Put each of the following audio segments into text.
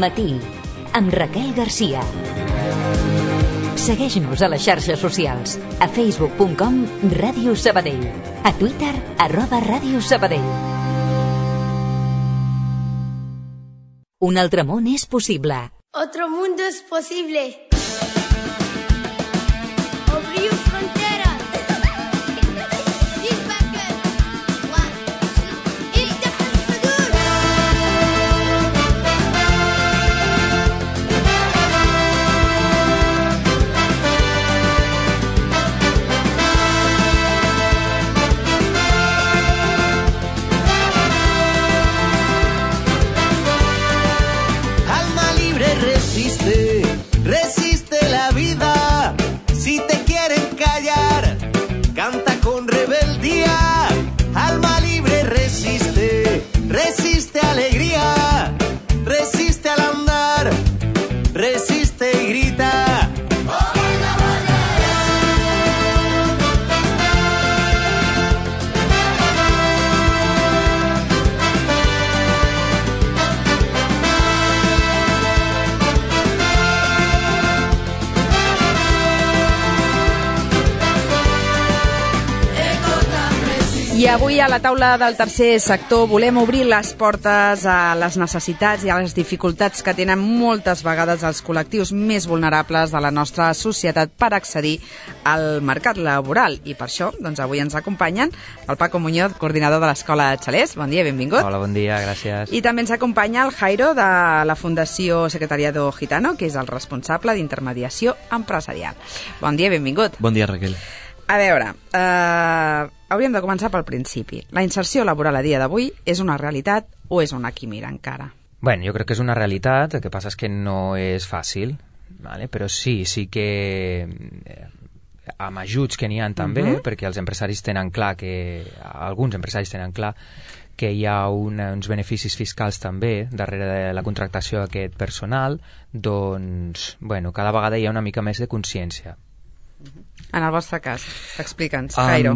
Matí, amb Raquel Garcia. Segueix-nos a les xarxes socials, a facebook.com Ràdio Sabadell, a Twitter @Ràdio Sabadell. Un altre món és possible. Otro mundo es posible. Abrir fronteras. Resiste la vida. Si te quieren callar, canta con rebeldía. Alma libre resiste, resiste alegría, resiste al andar, resiste y grita. I avui a la taula del tercer sector volem obrir les portes a les necessitats i a les dificultats que tenen moltes vegades els col·lectius més vulnerables de la nostra societat per accedir al mercat laboral. I per això, doncs, avui ens acompanyen el Paco Muñoz, coordinador de l'Escola Xalers. Bon dia, benvingut. Hola, bon dia, gràcies. I també ens acompanya el Jairo de la Fundació Secretariado Gitano, que és el responsable d'intermediació empresarial. Bon dia, benvingut. Bon dia, Raquel. A veure, hauríem de començar pel principi. La inserció laboral a dia d'avui és una realitat o és una quimera encara? Bueno, jo crec que és una realitat, el que passa és que no és fàcil, ¿vale? Però sí que amb ajuts que n'hi ha també, perquè els empresaris tenen clar alguns empresaris tenen clar que hi ha uns beneficis fiscals també darrere de la contractació d'aquest personal, doncs, bueno, cada vegada hi ha una mica més de consciència. En el vostre cas, explica'ns, Jairo.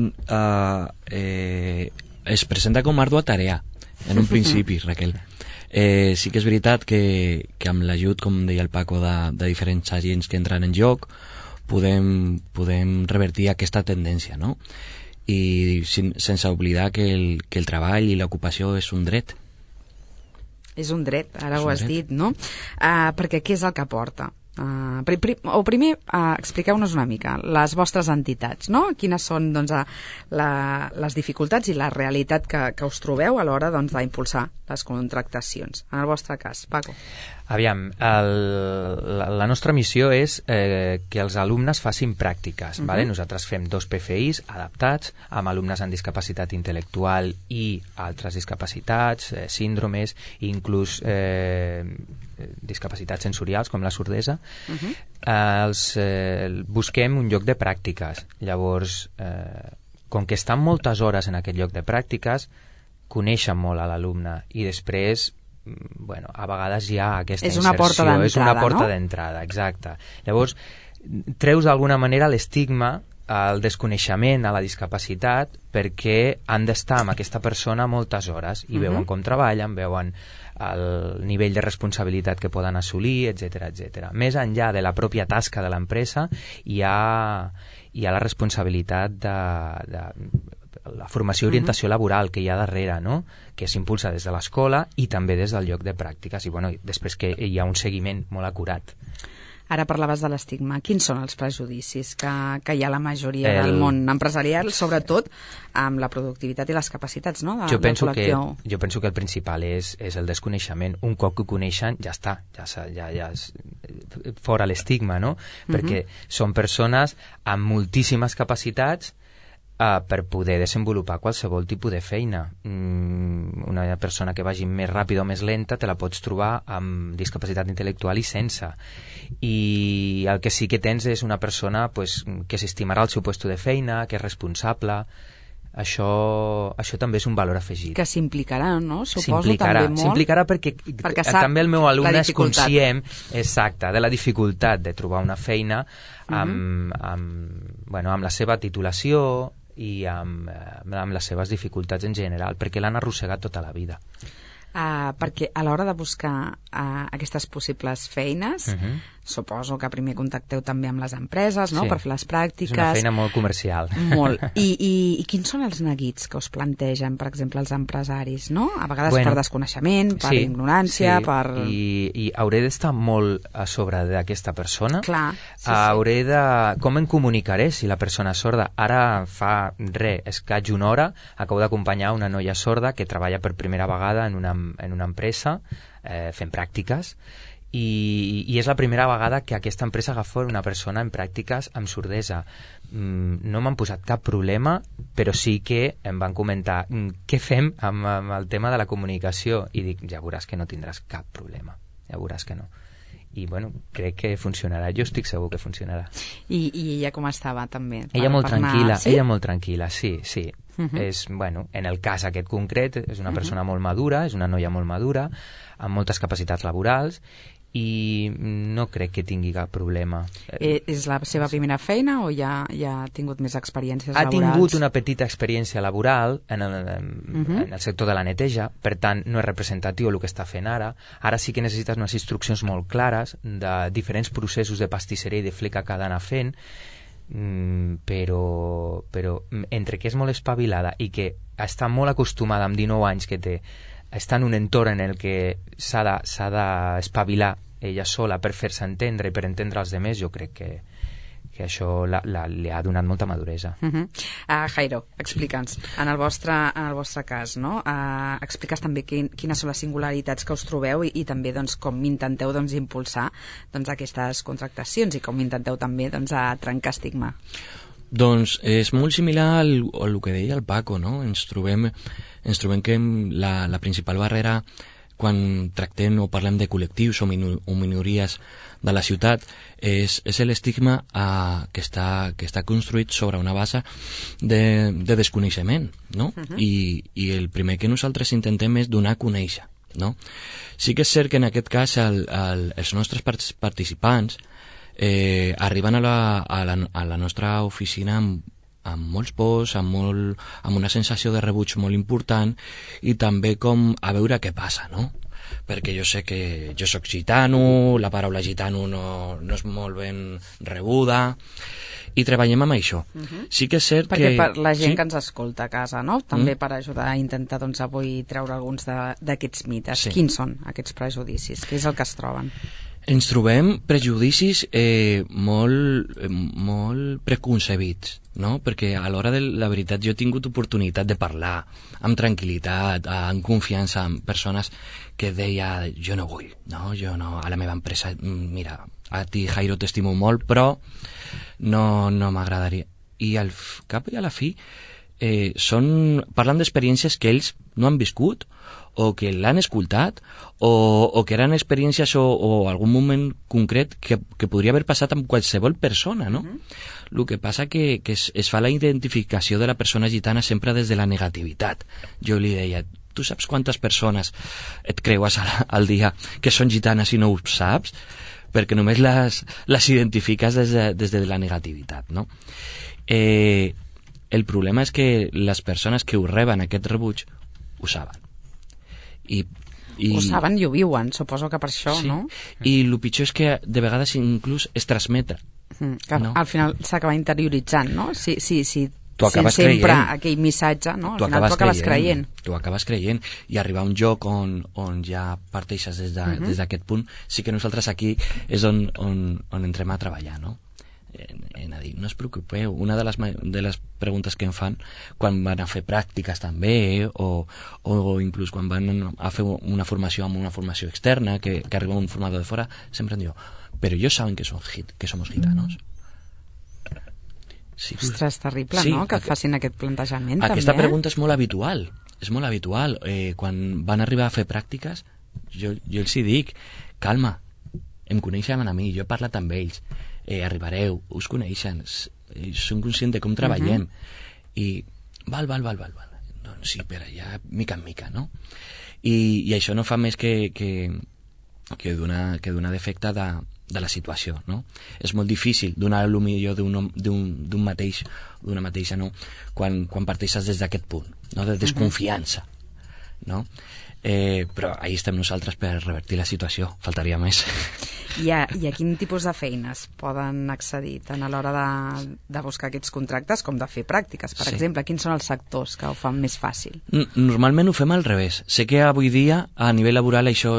Es presenta com ardua tarea, en un principi, Raquel. Sí que és veritat que amb l'ajut, com deia el Paco, de diferents agents que entren en joc, podem revertir aquesta tendència, no? I sense oblidar que el treball i l'ocupació és un dret. És un dret, ara ho has dit, no? Perquè què és el que porta? Primer, expliqueu-nos una mica les vostres entitats, no? Quines són, doncs, les dificultats i la realitat que us trobeu a l'hora, doncs, d'impulsar les contractacions. En el vostre cas, Paco. Aviam, la nostra missió és que els alumnes facin pràctiques. ¿Vale? Nosaltres fem 2 PFIs adaptats amb alumnes amb discapacitat intel·lectual i altres discapacitats, síndromes, inclús discapacitats sensorials com la sordesa. Busquem un lloc de pràctiques. Llavors, com que estan moltes hores en aquest lloc de pràctiques, coneixen molt a l'alumne i després, bueno, a vegades hi ha aquesta inserció. És una porta d'entrada, exacte. Llavors, treus d'alguna manera l'estigma, el desconeixement a la discapacitat, perquè han d'estar amb aquesta persona moltes hores i veuen com treballen, veuen el nivell de responsabilitat que poden assolir, etc. Més enllà de la pròpia tasca de l'empresa, hi ha la responsabilitat de la formació i orientació laboral que hi ha darrere, no? Que s'impulsa des de l'escola i també des del lloc de pràctiques, i bueno, després que hi ha un seguiment molt acurat. Ara parlaves de l'estigma. Quins són els prejudicis que hi ha a la majoria del món empresarial, sobretot amb la productivitat i les capacitats, no? Jo penso que el principal és el desconeixement. Un cop que ho coneixen, ja està, ja és fora l'estigma, no? Perquè són persones amb moltíssimes capacitats per poder desenvolupar qualsevol tipus de feina. Una persona que vagi més ràpida o més lenta te la pots trobar amb discapacitat intel·lectual i sense. I el que sí que tens és una persona, pues, que s'estimarà el seu lloc de feina, que és responsable. Això també és un valor afegit. Que s'implicarà, no? Suposo també molt. S'implicarà perquè també el meu alumne és conscient, exacte, de la dificultat de trobar una feina amb la seva titulació i amb les seves dificultats en general, perquè l'han arrossegat tota la vida. Perquè a l'hora de buscar aquestes possibles feines, suposo que primer contacteu també amb les empreses, no?, Sí. per fer les pràctiques. És una feina molt comercial. Molt. I quins són els neguits que us plantegen, per exemple, els empresaris, no? A vegades per desconeixement, per ignorància, per... I hauré d'estar molt a sobre d'aquesta persona. Clar, hauré de... Com em comunicaré si la persona és sorda? Ara fa escaig una hora, acabo d'acompanyar una noia sorda que treballa per primera vegada en una empresa fent pràctiques, i és la primera vegada que aquesta empresa agafa una persona en pràctiques amb sordesa. No m'han posat cap problema, però sí que em van comentar què fem amb el tema de la comunicació, i dic, ja veuràs que no tindràs cap problema, ja veuràs que no. I bueno, crec que funcionarà, jo estic segur que funcionarà. I ella com estava també? Ella molt tranquil·la, sí? ella molt tranquil·la, sí. És, bueno, en el cas aquest concret és una persona molt madura, és una noia molt madura, amb moltes capacitats laborals, i no crec que tingui cap problema. És la seva primera feina o ja ha tingut més experiències laborals? Ha tingut una petita experiència laboral en el sector de la neteja, per tant no és representatiu el que està fent ara. Ara sí que necessites unes instruccions molt clares de diferents processos de pastisseria i de fleca que ha d'anar fent, però entre que és molt espavilada i que està molt acostumada amb 19 anys que té, està en un entorn en el que s'ha d'espavilar ella sola per fer-se entendre i per entendre els demés, jo crec que això li ha donat molta maduresa. Jairo, explica'ns, en el vostre cas, no? Expliques també quines són les singularitats que us trobeu i també doncs, com intenteu impulsar aquestes contractacions i com intenteu també a trencar estigma. Doncs és molt similar al que deia el Paco, no? Ens trobem que la principal barrera quan tractem o parlem de col·lectius o minories de la ciutat és l'estigma que està construït sobre una base de desconeixement, no? I el primer que nosaltres intentem és donar a conèixer, no? Sí que és cert que en aquest cas els nostres participants arriben a la nostra oficina amb molts pors, amb una sensació de rebuig molt important i també com a veure què passa, no? Perquè jo sé que jo soc gitano, la paraula gitano no és molt ben rebuda i treballem amb això. Sí que és cert perquè que... per la gent que ens escolta a casa, no? També per ajudar a intentar avui treure alguns d'aquests mites. Sí. Quins són aquests prejudicis? Què és el que es troben? Ens trobem prejudicis molt preconcebits, no? Perquè a l'hora de la veritat jo he tingut oportunitat de parlar amb tranquil·litat, amb confiança, amb persones que deia jo no vull, no? Jo no, a la meva empresa, mira, a ti Jairo t'estimo molt, però no m'agradaria. I al cap i a la fi parlen d'experiències que ells no han viscut o que l'han escoltat o que eren experiències o algun moment concret que podria haver passat amb qualsevol persona, no? El que passa que es fa la identificació de la persona gitana sempre des de la negativitat. Jo li deia, tu saps quantes persones et creues al dia que són gitanes i no ho saps? Perquè només les identifiques des de la negativitat, no? El problema és que les persones que ho reben aquest rebuig ho saben. Ho saben i ho viuen, suposo que per això, sí. no? I el pitjor és que de vegades inclús es transmet. Que no? Al final s'acaba interioritzant, no? Si tu acabes sempre creient. aquell missatge, no? Al final tu acabes creient. Tu acabes creient. I arribar a un lloc on ja parteixes des d'aquest punt, sí que nosaltres aquí és on entrem a treballar, no? En a dir, no us preocupeu, una de les preguntes que em fan quan van a fer pràctiques també o inclús quan van a fer una formació amb una formació externa que arriba un formador de fora, sempre em diu, però ellos saben que somos gitanos. Sí. Ostres, terrible, sí, no? Que et facin aquest plantejament aquesta també. Pregunta és molt habitual, quan van arribar a fer pràctiques jo els hi dic, calma, em coneixen a mi, jo he parlat amb ells, arribareu, us coneixen, són conscients de com treballem i val, doncs sí, per allà mica en mica, no? I això no fa més que donar d'efecte de la situació, no? És molt difícil donar el millor d'un mateix, d'una mateixa, no? Quan parteixes des d'aquest punt, no? De desconfiança, no? Però ahí estem nosaltres per revertir la situació, faltaria més. I a quin tipus de feines poden accedir tant a l'hora de buscar aquests contractes com de fer pràctiques, per exemple? Quins són els sectors que ho fan més fàcil? Normalment ho fem al revés. Sé que avui dia a nivell laboral això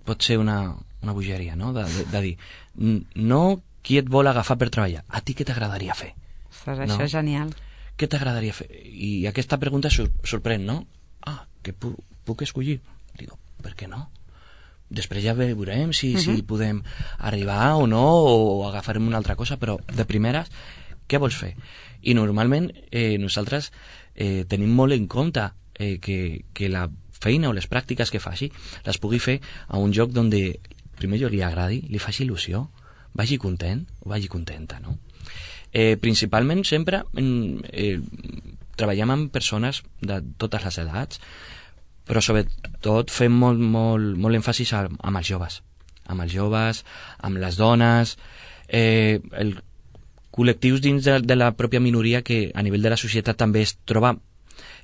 pot ser una bogeria, no? De dir, no qui et vol agafar per treballar, a ti què t'agradaria fer? Ostres, això és genial. Què t'agradaria fer? I aquesta pregunta sorprèn, no? Que puc escollir? Digo, per què no? Després ja veurem si podem arribar o no, o agafarem una altra cosa, però de primeres, què vols fer? I normalment nosaltres tenim molt en compte que la feina o les pràctiques que faci les pugui fer a un lloc on primer jo li agradi, li faci il·lusió, vagi content o vagi contenta, no? Principalment sempre treballem amb persones de totes les edats, però sobretot fem molt èmfasis amb els joves, amb les dones, col·lectius dins de la pròpia minoria que a nivell de la societat també es troba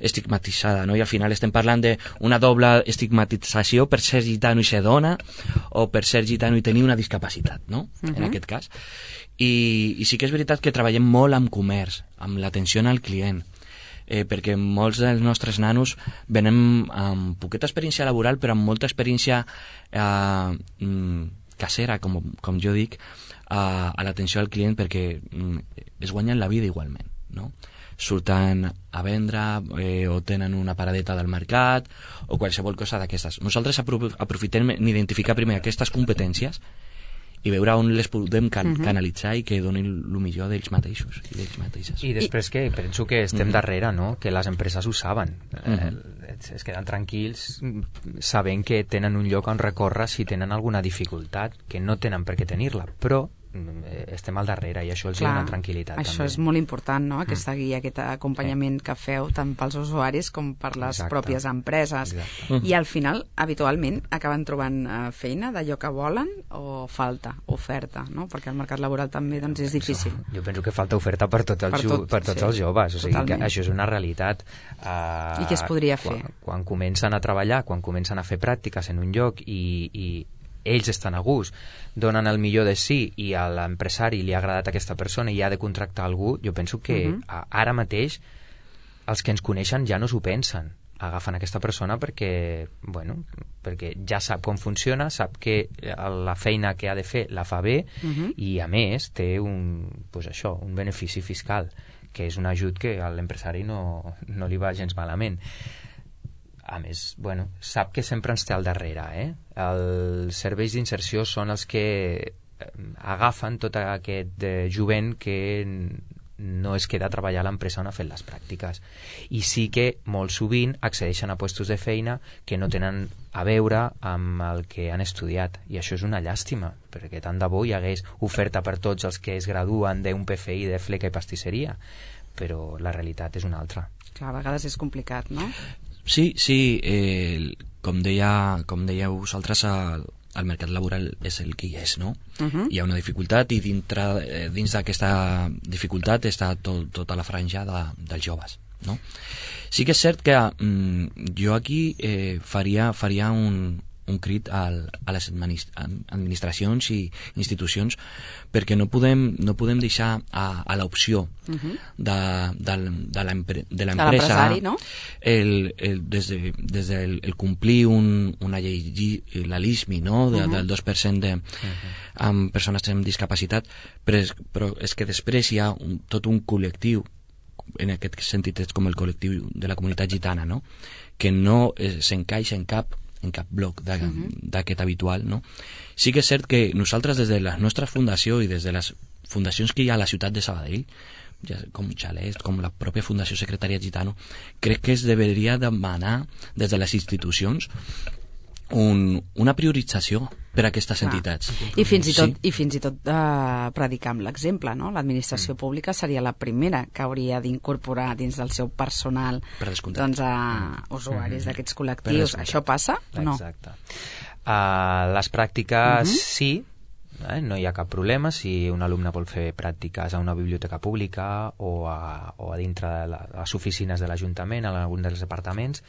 estigmatitzada, no? I al final estem parlant d'una doble estigmatització per ser gitano i ser dona, o per ser gitano i tenir una discapacitat, no? En aquest cas. I sí que és veritat que treballem molt amb comerç, amb l'atenció al client, perquè molts dels nostres nanos venen amb poqueta experiència laboral, però amb molta experiència casera, com jo dic, a l'atenció al client, perquè es guanyen la vida igualment, no? Surten a vendre o tenen una paradeta del mercat o qualsevol cosa d'aquestes. Nosaltres aprofitem d'identificar primer aquestes competències i veure on les podem canalitzar i que donin el millor d'ells mateixos i d'ells mateixes. I després que penso que estem darrere, no? Que les empreses ho saben. Es queden tranquils sabent que tenen un lloc on recórrer si tenen alguna dificultat, que no tenen per què tenir-la, però estem al darrere i això els dona tranquil·litat. Això també és molt important, no? Aquesta guia, aquest acompanyament que feu tant pels usuaris com per les pròpies empreses. I al final, habitualment, acaben trobant feina d'allò que volen o falta oferta, no? Perquè el mercat laboral també és difícil. Jo penso que falta oferta per tots els joves, o sigui que això és una realitat. I què es podria fer? Quan comencen a treballar, quan comencen a fer pràctiques en un lloc i ells estan a gust, donen el millor de si i a l'empresari li ha agradat aquesta persona i ha de contractar algú, jo penso que ara mateix els que ens coneixen ja no s'ho pensen, agafen aquesta persona perquè ja sap com funciona, sap que la feina que ha de fer la fa bé i a més té un benefici fiscal, que és un ajut que a l'empresari no li va gens malament. A més, sap que sempre ens té al darrere, Els serveis d'inserció són els que agafen tot aquest jovent que no es queda a treballar a l'empresa on ha fet les pràctiques. I sí que molt sovint accedeixen a puestos de feina que no tenen a veure amb el que han estudiat. I això és una llàstima, perquè tant de bo hi hagués oferta per tots els que es graduen d'un PFI de fleca i pastisseria, però la realitat és una altra. Clar, a vegades és complicat, no? Sí, com dèieu vosaltres, el mercat laboral és el que hi és, no? Hi ha una dificultat i dins d'aquesta dificultat està tota la franja dels joves, no? Sí que és cert que jo aquí faria un crit a les administracions i institucions, perquè no podem deixar a l'opció de l'empresa, no? des del complir una llei, la LISMI, no? Del 2% amb persones amb discapacitat, però és que després hi ha tot un col·lectiu, en aquest sentit és com el col·lectiu de la comunitat gitana, no? Que no s'encaixa en cap bloc d'aquest habitual, no? Sí que és cert que nosaltres des de la nostra fundació i des de les fundacions que hi ha a la ciutat de Sabadell, com Xalest, com la pròpia Fundació Secretariat Gitano, crec que es deberia demanar des de les institucions una priorització per a aquestes entitats. I fins i tot predicar amb l'exemple, no? L'administració pública seria la primera que hauria d'incorporar dins del seu personal a usuaris d'aquests col·lectius. Això passa o no? Exacte. Les pràctiques sí, no hi ha cap problema si un alumne vol fer pràctiques a una biblioteca pública o a dintre de les oficines de l'Ajuntament, en algun dels departaments.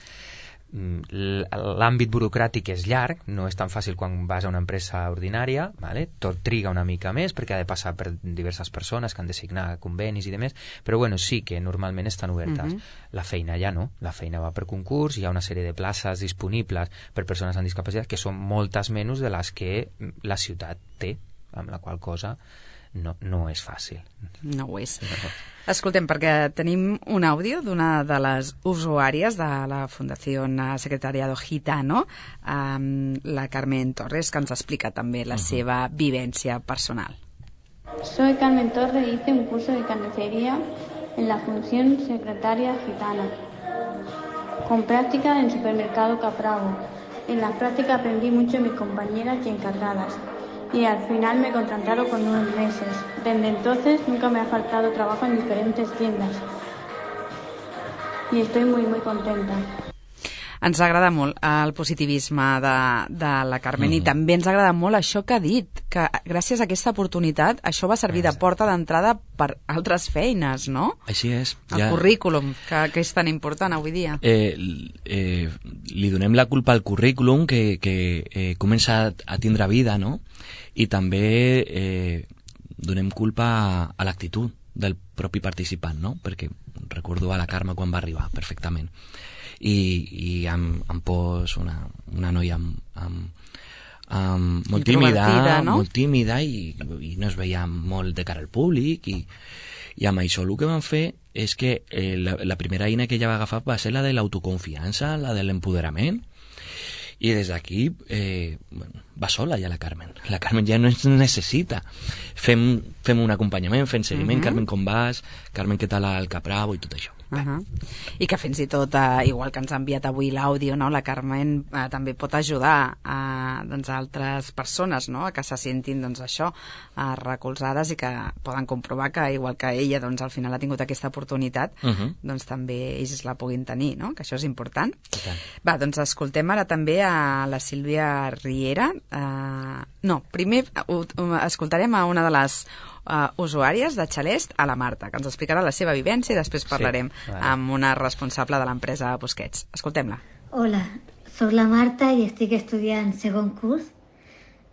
l'àmbit burocràtic és llarg, no és tan fàcil quan vas a una empresa ordinària, vale? Tot triga una mica més perquè ha de passar per diverses persones que han de signar convenis i demés, però bueno, sí que normalment estan obertes. La feina ja no, la feina va per concurs, hi ha una sèrie de places disponibles per persones amb discapacitat que són moltes menys de les que la ciutat té, amb la qual cosa no és fàcil. No ho és. Escoltem, perquè tenim un àudio d'una de les usuàries de la Fundació Secretariado Gitano, la Carmen Torres, que ens explica també la seva vivència personal. Soy Carmen Torres y hice un curso de carnicería en la Fundación Secretaria Gitana, con práctica en el supermercado Capravo. En la práctica aprendí mucho de mis compañeras y encargadas, y al final me contrataron con 9 meses. Desde entonces nunca me ha faltado trabajo en diferentes tiendas y estoy muy contenta. Ens agrada molt el positivisme de la Carmen i també ens agrada molt això que ha dit, que gràcies a aquesta oportunitat això va servir de porta d'entrada per altres feines, no? Així és. El currículum, que és tan important avui dia. Li donem la culpa al currículum que comença a tindre vida, no? I també donem culpa a l'actitud del propi participant, no? Perquè recordo a la Carme quan va arribar perfectament i em pos una noia molt tímida, no? molt tímida i no es veia molt de cara al públic i amb això el que vam fer és que la primera eina que ella va agafar va ser la de l'autoconfiança, la de l'empoderament, i des d'aquí va sola ja la Carmen ja no ens necessita, fem un acompanyament, fem seguiment, Carmen com vas, Carmen què tal al Capravo i tot això. I que fins i tot, igual que ens ha enviat avui l'àudio, no? La Carmen també pot ajudar a altres persones, no? Que se sentin això, recolzades i que poden comprovar que igual que ella al final ha tingut aquesta oportunitat, també ells la puguin tenir, no? Que això és important. Va, doncs escoltem ara també a la Sílvia Riera. Primer escoltarem a una de les usuàries de Xalest, a la Marta, que ens explicarà la seva vivència i després parlarem amb una responsable de l'empresa Busquets. Escoltem-la. Hola, soc la Marta i estic estudiant segon curs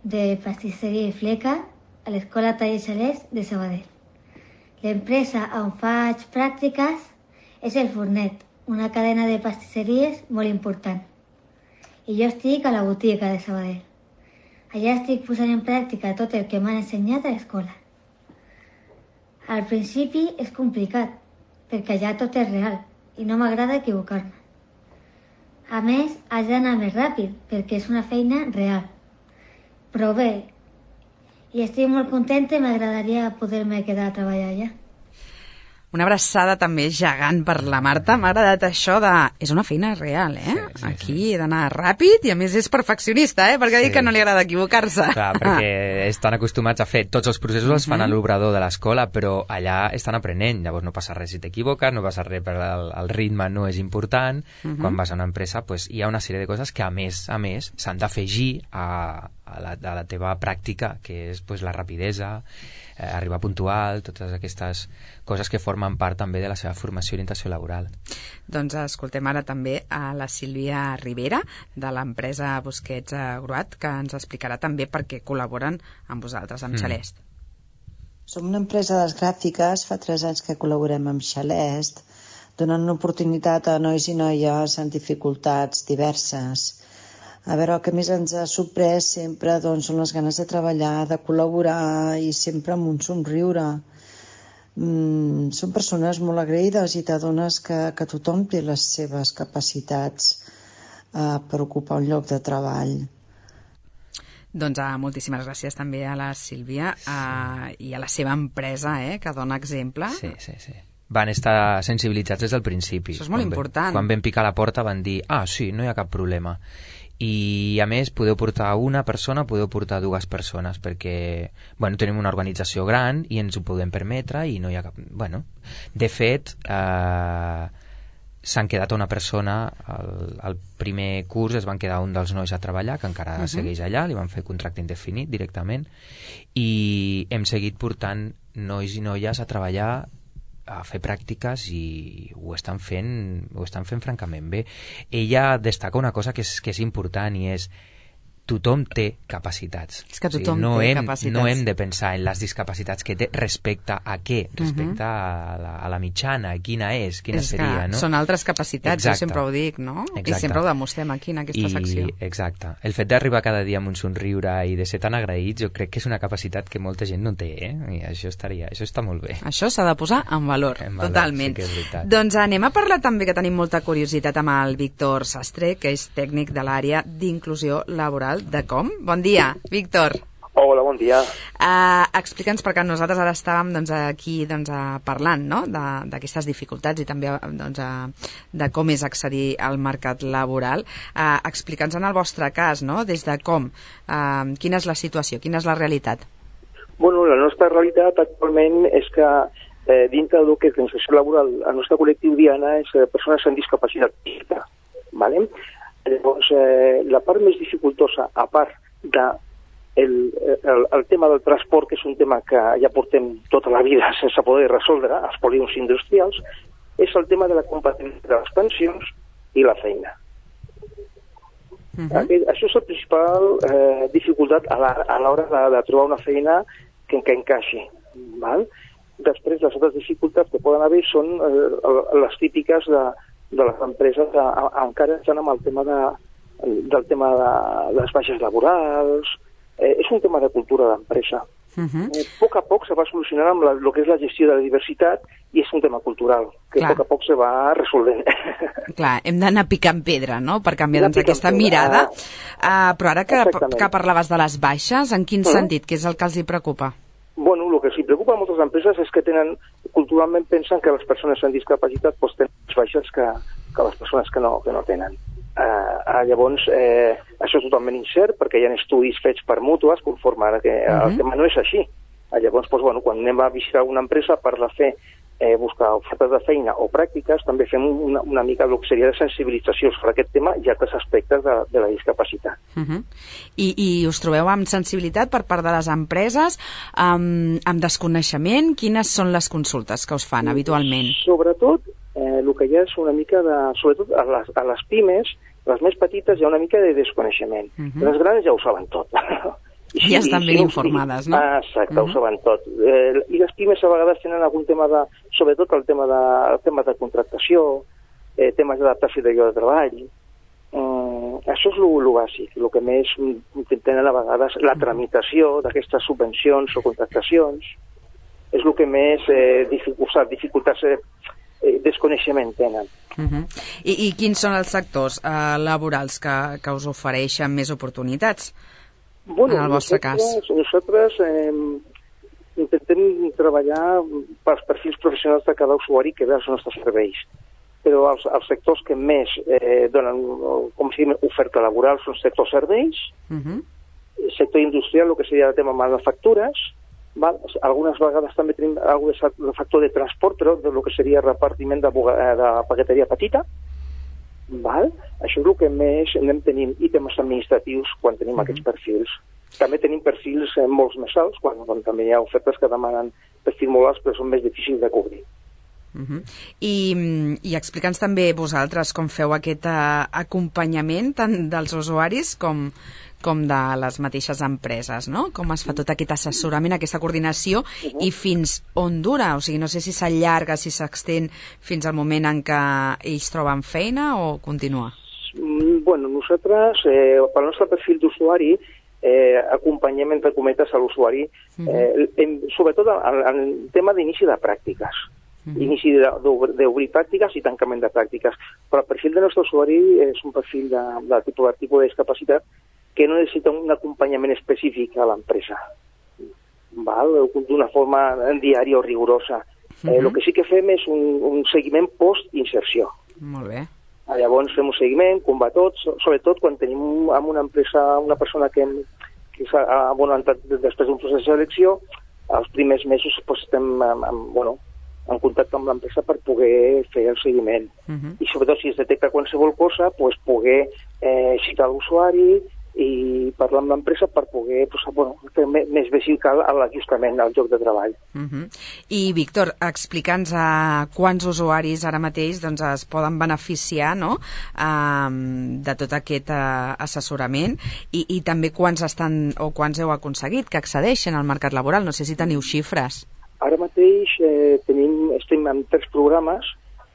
de pastisseria i fleca a l'Escola Taller Xalest de Sabadell. L'empresa on faig pràctiques és el Fornet, una cadena de pastisseries molt important. I jo estic a la botiga de Sabadell. Allà estic posant en pràctica tot el que m'han ensenyat a l'escola. Al principi és complicat, perquè allà tot és real i no m'agrada equivocar-me. A més, has d'anar més ràpid, perquè és una feina real. Però bé, i estic molt contenta i m'agradaria poder-me quedar a treballar allà. Una abraçada també gegant per la Marta. M'ha agradat això de... És una feina real, Sí, aquí he d'anar ràpid i a més és perfeccionista, perquè ha dit que no li agrada equivocar-se. Clar, perquè estan acostumats a fer tots els processos els fan a l'obrador de l'escola, però allà estan aprenent, llavors no passa res si t'equivoques, no passa res per el ritme no és important. Quan vas a una empresa hi ha una sèrie de coses que a més s'han d'afegir a la teva pràctica, que és la rapidesa, arribar puntual, totes aquestes coses que formen part també de la seva formació i orientació laboral. Doncs escoltem ara també a la Sílvia Rivera de l'empresa Busquets Gruat, que ens explicarà també per què col·laboren amb vosaltres, amb Xalest. Som una empresa de les gràfiques, fa 3 anys que col·laborem amb Xalest, donant una oportunitat a nois i noies amb dificultats diverses. A veure, el que més ens ha sorprès sempre són les ganes de treballar, de col·laborar i sempre amb un somriure. Són persones molt agraïdes i t'adones que tothom té les seves capacitats per ocupar un lloc de treball. Doncs moltíssimes gràcies també a la Sílvia i a la seva empresa, que dona exemple. Sí. Van estar sensibilitzats des del principi. Això és molt important. Quan vam picar la porta van dir, sí, no hi ha cap problema. I a més podeu portar una persona, podeu portar 2 persones, perquè tenim una organització gran i ens ho podem permetre i no hi ha cap... De fet, s'han quedat una persona, al primer curs es van quedar un dels nois a treballar, que encara segueix allà, li van fer contracte indefinit directament, i hem seguit portant nois i noies a treballar a fer pràctiques i ho estan fent francament bé. Ella destaca una cosa que és important i és tothom té capacitats. És que tothom té capacitats. No hem de pensar en les discapacitats que té respecte a què? Respecte a la mitjana, quina seria, no? Són altres capacitats, jo sempre ho dic, no? Exacte. I sempre ho demostrem aquí, en aquesta secció. Exacte. El fet d'arribar cada dia amb un somriure i de ser tan agraïts, jo crec que és una capacitat que molta gent no té, I això està molt bé. Això s'ha de posar en valor, totalment. Sí que és veritat. Doncs anem a parlar també, que tenim molta curiositat, amb el Víctor Sastre, que és tècnic de l'àrea d'inclusió laboral de Com. Bon dia, Víctor. Hola, bon dia. Explica'ns, perquè nosaltres ara estàvem aquí parlant, no?, d'aquestes dificultats i també de com és accedir al mercat laboral. Explica'ns en el vostre cas, no?, des de Com, quina és la situació, quina és la realitat? Bueno, la nostra realitat actualment és que dintre del que és l'inserció laboral, el nostre col·lectiu diana és persones amb discapacitat física, ¿vale? Llavors, la part més dificultosa, a part el tema del transport, que és un tema que ja portem tota la vida sense poder resoldre, als polígons industrials, és el tema de la compatibilitat de les pensions i la feina. Això és la principal dificultat a l'hora de trobar una feina que encaixi. Val? Després, les altres dificultats que poden haver són les típiques de les empreses que encara estan amb el tema del tema de les baixes laborals. És un tema de cultura d'empresa. A poc a poc se va solucionant amb el que és la gestió de la diversitat i és un tema cultural, que a poc a poc se va resolvent. Clar, hem d'anar picant pedra, no?, per canviar aquesta mirada. Però ara que parlaves de les baixes, en quin sentit? Què és el que els hi preocupa? Bueno, el que els preocupa a moltes empreses és que culturalment pensen que les persones amb discapacitat tenen més baixes que les persones que no tenen. Llavors, això és totalment incert perquè hi ha estudis fets per mútues conforme ara que el tema no és així. Llavors, quan anem a visitar una empresa per buscar ofertes de feina o pràctiques, també fem una mica el que seria de sensibilització sobre aquest tema i altres aspectes de la discapacitat. I us trobeu amb sensibilitat per part de les empreses, amb desconeixement? Quines són les consultes que us fan habitualment? Sobretot, el que hi ha és una mica sobretot a les pimes, les més petites, hi ha una mica de desconeixement. Les grans ja ho saben tot. Ja estan ben informades, no? Exacte, ho saben tot. I les pimes a vegades tenen algun tema sobretot el tema de contractació, temes d'adaptació de lloc de treball. Això és el bàsic, el que més tenen a vegades, la tramitació d'aquestes subvencions o contractacions, és el que més dificultats desconeixement tenen. I quins són els sectors laborals que us ofereixen més oportunitats? Bueno, en el vostre cas. Nosaltres intentem treballar pels perfils professionals de cada usuari que ve als nostres serveis. Però els sectors que més donen, com si diguem, oferta laboral són sector serveis, sector industrial, el que seria el tema manufactures, val? Algunes vegades també tenim algun factor de transport, però del que seria repartiment de paqueteria petita. Val? Això és el que més anem tenint, i temes administratius quan tenim aquests perfils. També tenim perfils molt més alts, quan també hi ha ofertes que demanen perfils molt alts, però són més difícils de cobrir. I explica'ns també vosaltres com feu aquest acompanyament tant dels usuaris com de les mateixes empreses, no? Com es fa tot aquest assessorament, aquesta coordinació, i fins on dura? O sigui, no sé si s'allarga, si s'extén fins al moment en què ells troben feina o continua? Bueno, nosaltres, pel nostre perfil d'usuari, acompanyem entre cometes a l'usuari, sobretot en tema d'inici de pràctiques. Inici d'obrir pràctiques i tancament de pràctiques. Però el perfil del nostre usuari és un perfil de tipus de discapacitat que no necessita un acompanyament específic a l'empresa, d'una forma diària o rigorosa. El que sí que fem és un seguiment post-inserció. Molt bé. Llavors fem un seguiment, com va tot, sobretot quan tenim en una empresa una persona que ha entrat després d'un procés de selecció, els primers mesos estem en contacte amb l'empresa per poder fer el seguiment. I sobretot si es detecta qualsevol cosa, poder citar l'usuari, i parlar amb l'empresa per poder fer més vehicle a l'ajustament al lloc de treball. I, Víctor, explica'ns quants usuaris ara mateix es poden beneficiar de tot aquest assessorament i també quants heu aconseguit que accedeixen al mercat laboral. No sé si teniu xifres. Ara mateix estem en 3 programes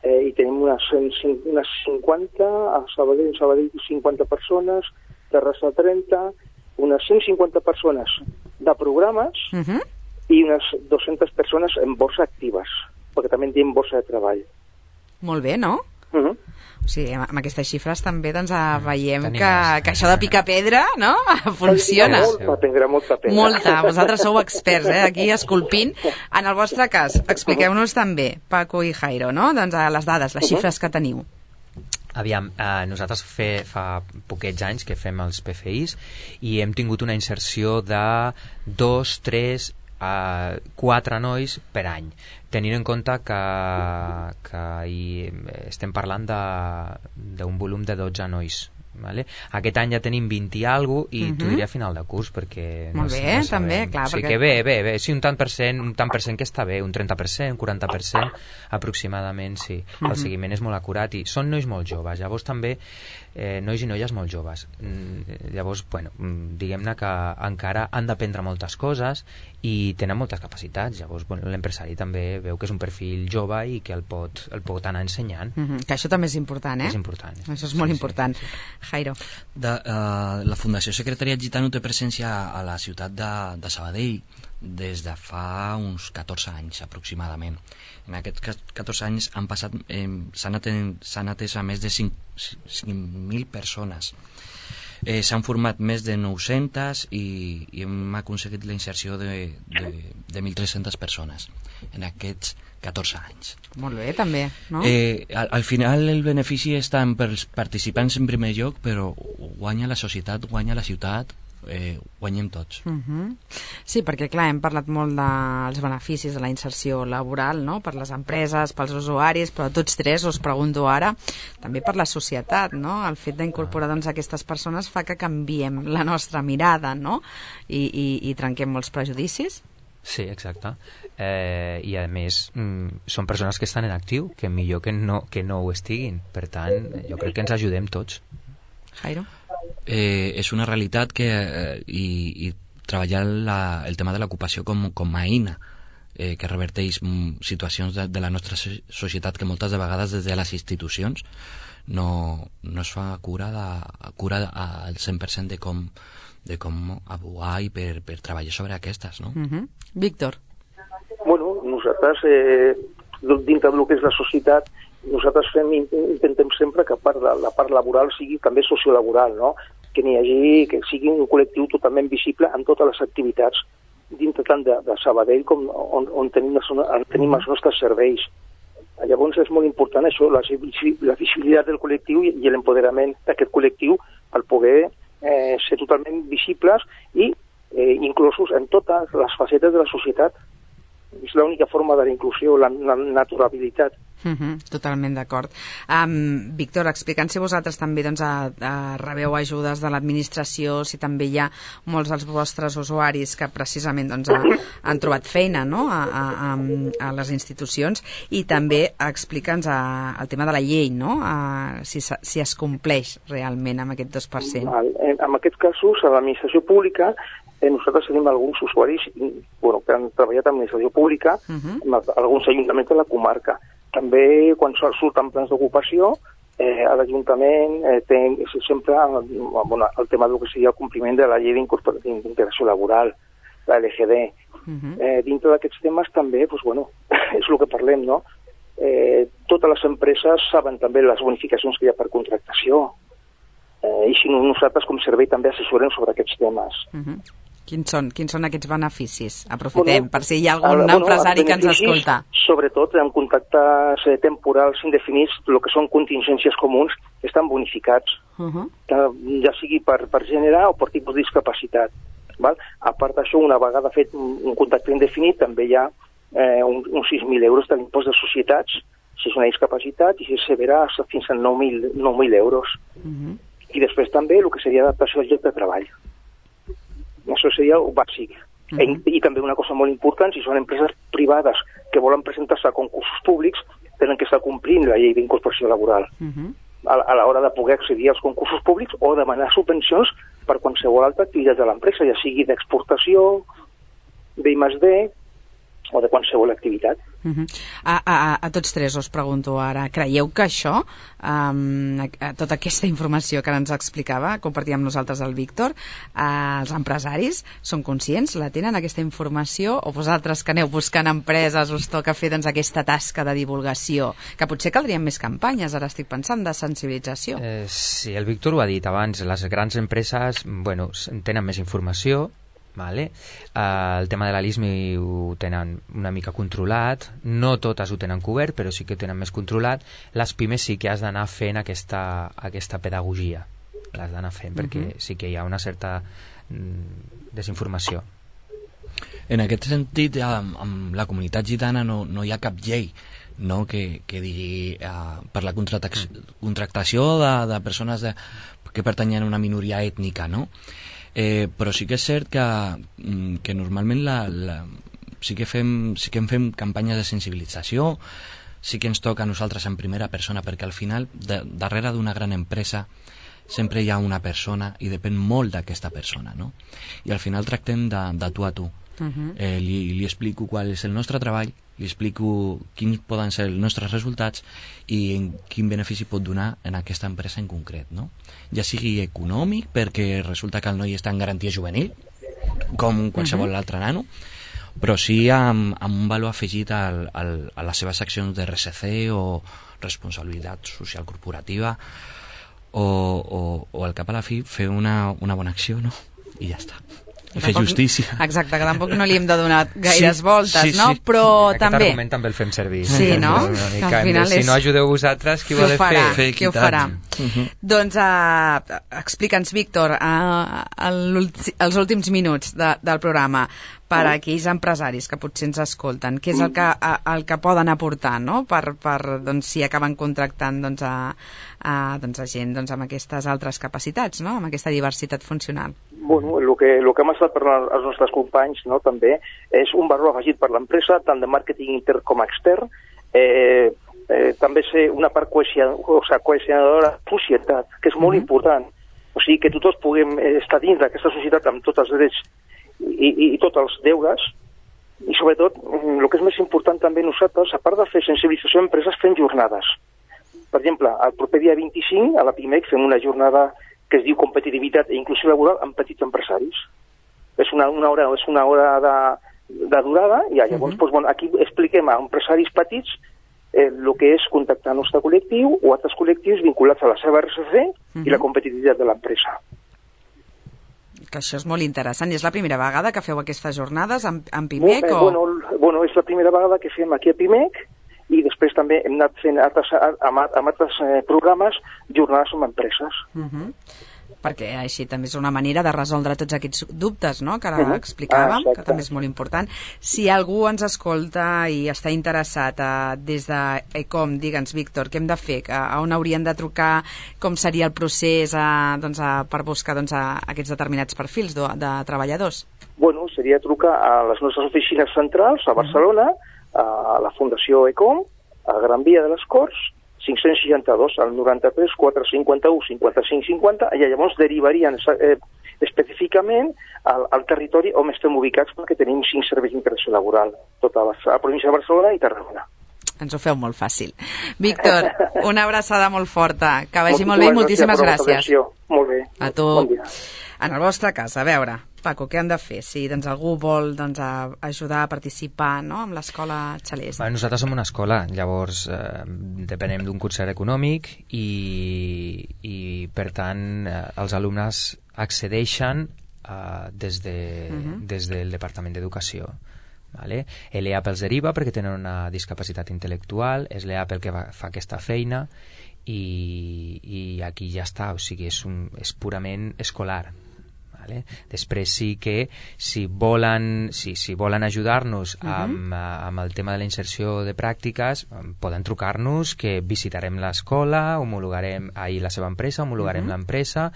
i tenim unes 50, a Sabadell 50 persones, Terrassa 30, unes 150 persones de programes i unes 200 persones en borsa actives, perquè també en diem borsa de treball. Molt bé, no? O sigui, amb aquestes xifres també veiem que això de picar pedra, no?, funciona. Molta pedra. Molta. Vosaltres sou experts, aquí esculpint. En el vostre cas, expliqueu-nos també, Paco i Jairo, no?, les dades, les xifres que teniu. Aviam, nosaltres fa poquets anys que fem els PFIs i hem tingut una inserció de 2, 3, 4 nois per any, tenint en compte que estem parlant d'un volum de 12 nois. Vale? Aquest any ja tenim 20 i alguna cosa i t'ho diré a final de curs perquè molt bé, no també, clar, sí, que bé, sí, un tant per cent que està bé, un 30%, 40% aproximadament, sí. El seguiment és molt acurat i són nois molt joves, llavors també nois i noies molt joves, llavors, bueno, diguem-ne que encara han d'aprendre moltes coses i tenen moltes capacitats, llavors l'empresari també veu que és un perfil jove i que el pot anar ensenyant. Que això també és important, És important. Això és molt important. Jairo. La Fundació Secretariat Gitano té presència a la ciutat de Sabadell des de fa uns 14 anys aproximadament. En aquests 14 anys s'han atès a més de 5.000 persones. S'han format més de 900 i hem aconseguit la inserció de 1.300 persones en aquests 14 anys. Molt bé, també, no? Al final el benefici està pels participants en primer lloc, però guanya la societat, guanya la ciutat, guanyem tots. Sí, perquè clar, hem parlat molt dels beneficis de la inserció laboral, no?, per les empreses, pels usuaris, però tots tres us pregunto ara també per la societat, no? El fet d'incorporar aquestes persones fa que canviem la nostra mirada, no?, i trenquem molts prejudicis. Sí, exacte. I a més són persones que estan en actiu, que millor que no ho estiguin, per tant jo crec que ens ajudem tots. Jairo? És una realitat que i treballar el tema de l'ocupació com a eina que reverteix situacions de la nostra societat que moltes de vegades des de les institucions no es fa cura al 100% de com abogar i per treballar sobre aquestes, no? Víctor? Bueno, nosaltres dintre del que és la societat nosaltres intentem sempre que la part laboral sigui també sociolaboral, no? Que sigui un col·lectiu totalment visible en totes les activitats dintre tant de Sabadell com on tenim els nostres serveis. Llavors és molt important això, la visibilitat del col·lectiu i l'empoderament d'aquest col·lectiu per poder ser totalment visibles i inclosos en totes les facetes de la societat. És l'única forma de la inclusió, la naturalitat. Totalment d'acord. Víctor, explicant si vosaltres també rebeu ajudes de l'administració, si també hi ha molts dels vostres usuaris que precisament han trobat feina, no?, a les institucions, i també explica'ns el tema de la llei, no?, si es compleix realment amb aquest 2%. En aquests casos, a l'administració pública nosaltres tenim alguns usuaris que han treballat en l'administració pública, alguns ajuntaments de la comarca. També, quan surten plans d'ocupació, a l'Ajuntament té sempre el tema del que seria el compliment de la llei d'integració laboral, la LGD. Dintre d'aquests temes també, és el que parlem, no? Totes les empreses saben també les bonificacions que hi ha per contractació i si no, nosaltres com servei també assessorem sobre aquests temes. Quins són aquests beneficis? Aprofitem, per si hi ha algun empresari que ens escolta. Sobretot en contactes temporals indefinits, el que són contingències comuns, estan bonificats, ja sigui per gènere o per tipus de discapacitat. A part d'això, una vegada fet un contacte indefinit, també hi ha uns 6.000 euros de l'impost de societats, si és una discapacitat, i si és severa, fins a 9.000 euros. I després també el que seria adaptació al lloc de treball. Això seria el bàsic. I també una cosa molt important, si són empreses privades que volen presentar-se a concursos públics, tenen que estar complint la llei d'incorporació laboral a l'hora de poder accedir als concursos públics o demanar subvencions per qualsevol altra activitat de l'empresa, ja sigui d'exportació, d'I+D o de qualsevol activitat. A tots tres us pregunto ara, creieu que això, tota aquesta informació que ens explicava, compartia amb nosaltres el Víctor, els empresaris són conscients, la tenen aquesta informació, o vosaltres que aneu buscant empreses us toca fer doncs, aquesta tasca de divulgació, que potser caldrien més campanyes, ara estic pensant, de sensibilització? Sí, el Víctor ho ha dit abans, les grans empreses tenen més informació. Vale. El tema de la LISMI ho tenen una mica controlat, no totes ho tenen cobert, però sí que ho tenen més controlat. Les pimes sí que has d'anar fent aquesta pedagogia, l'has d'anar fent, perquè sí que hi ha una certa desinformació. En aquest sentit, amb la comunitat gitana no hi ha cap llei, no, que digui per la contractació de persones que pertanyen a una minoria ètnica, no? Però sí que és cert que normalment sí que en fem campanyes de sensibilització, sí que ens toca a nosaltres en primera persona, perquè al final darrere d'una gran empresa sempre hi ha una persona i depèn molt d'aquesta persona, no? I al final tractem de tu a tu. Li explico qual és el nostre treball, li explico quins poden ser els nostres resultats i quin benefici pot donar en aquesta empresa en concret, no? Ja sigui econòmic, perquè resulta que el noi està en garantia juvenil, com qualsevol altre nano, però sí amb un valor afegit a les seves accions de RSC o responsabilitat social corporativa o al cap a la fi fer una bona acció, no? I ja està. Fer justícia. Exacte, que tampoc no li hem de donar gaires voltes, no? Però aquest també... argument també el fem servir. Sí, no? Que al final si no ajudeu vosaltres, qui ho ha de fer? Qui ho farà? Doncs explica'ns, Víctor, els últims minuts del programa, per a aquells empresaris que potser ens escolten, què és el que poden aportar, no? Per si acaben contractant a gent amb aquestes altres capacitats, no? Amb aquesta diversitat funcional. Bueno, el que hem estat per als nostres companys, no, també és un valor afegit per l'empresa, tant de màrqueting intern com extern, també ser una part cohesionadora de la societat, que és molt important. O sigui, que tots puguem estar dins d'aquesta societat amb tots els drets i tots els deures, i sobretot, el que és més important també nosaltres, a part de fer sensibilització a empreses, fem jornades. Per exemple, el proper dia 25, a la PIMEC, fem una jornada que es diu competitivitat i inclusió laboral en petits empresaris. És una hora de durada, i llavors aquí expliquem a empresaris petits el que és contactar el nostre col·lectiu o altres col·lectius vinculats a la seva RSC i la competitivitat de l'empresa. Que això és molt interessant. I és la primera vegada que feu aquestes jornades amb PIMEC? Bueno, és la primera vegada que fem aquí a PIMEC, i després també hem anat fent amb altres programes jornades amb empreses. Perquè així també és una manera de resoldre tots aquests dubtes, no?, que ara explicàvem, que també és molt important. Si algú ens escolta i està interessat des d'ECOM, digue'ns, Víctor, què hem de fer? A on haurien de trucar? Com seria el procés per buscar aquests determinats perfils de treballadors? Bueno, seria trucar a les nostres oficines centrals a Barcelona, a la Fundació ECOM, a Gran Via de les Corts, 562 al 93 451 55 50, i llavors derivarien específicament al territori on estem ubicats, perquè tenim 5 serveis d'integració laboral, tota la província de Barcelona i Tarragona. Ens ho feu molt fàcil. Víctor, una abraçada molt forta, que vagi molt bé i moltíssimes gràcies. Molt bé. A tu. Bon dia. En el vostre cas, a veure, Paco, què han de fer? Si algú vol ajudar a participar, no?, amb l'escola Xalest. Nosaltres som una escola, llavors depenem d'un concert econòmic i per tant els alumnes accedeixen des del Departament d'Educació. Vale? L'EAP els deriva perquè tenen una discapacitat intel·lectual, és l'EAP el que fa aquesta feina i aquí ja està, o sigui, és purament escolar. Vale? Després sí que si volen ajudar-nos amb el tema de la inserció de pràctiques, poden trucar-nos, que visitarem l'escola, homologarem la seva empresa, homologarem l'empresa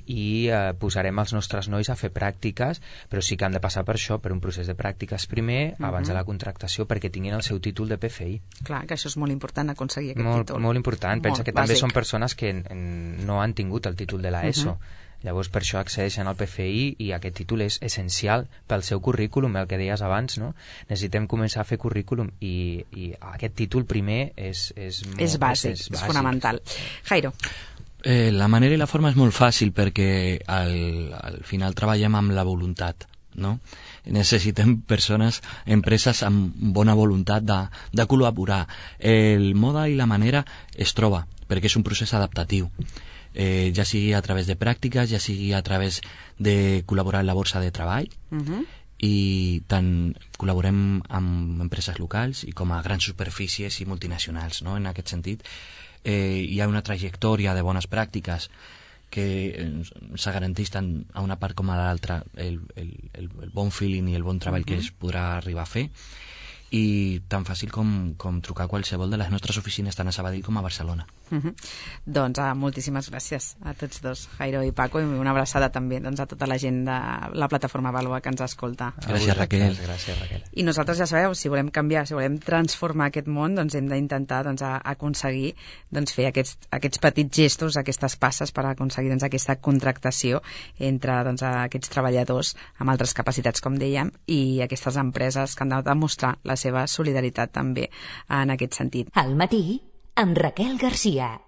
i posarem els nostres nois a fer pràctiques, però sí que han de passar per això, per un procés de pràctiques primer, abans de la contractació, perquè tinguin el seu títol de PFI. Clar, que això és molt important, aconseguir aquest títol. Molt important. Pensa que també són persones que no han tingut el títol de l'ESO. Llavors per això accedeixen al PFI i aquest títol és essencial pel seu currículum, el que deies abans, no? Necessitem començar a fer currículum i aquest títol primer és bàsic, és fonamental. Jairo. La manera i la forma és molt fàcil perquè al final treballem amb la voluntat, no? Necessitem empreses amb bona voluntat de col·laborar. El mode i la manera es troba perquè és un procés adaptatiu. Ja sigui a través de pràctiques, ja sigui a través de col·laborar en la borsa de treball, i tant col·laborem amb empreses locals i com a grans superfícies i multinacionals, no? En aquest sentit hi ha una trajectòria de bones pràctiques que se garanteix tant a una part com a l'altra el bon feeling i el bon treball que es podrà arribar a fer, i tan fàcil com trucar a qualsevol de les nostres oficines tant a Sabadell com a Barcelona. Doncs moltíssimes gràcies a tots dos, Jairo i Paco, i una abraçada també a tota la gent de la plataforma Valua que ens escolta. Gràcies, Raquel. I nosaltres ja sabeu, si volem canviar, si volem transformar aquest món, doncs hem d'intentar aconseguir fer aquests petits gestos, aquestes passes per aconseguir aquesta contractació entre aquests treballadors amb altres capacitats, com dèiem, i aquestes empreses que han de demostrar la seva solidaritat també en aquest sentit. Al matí, amb Raquel Garcia.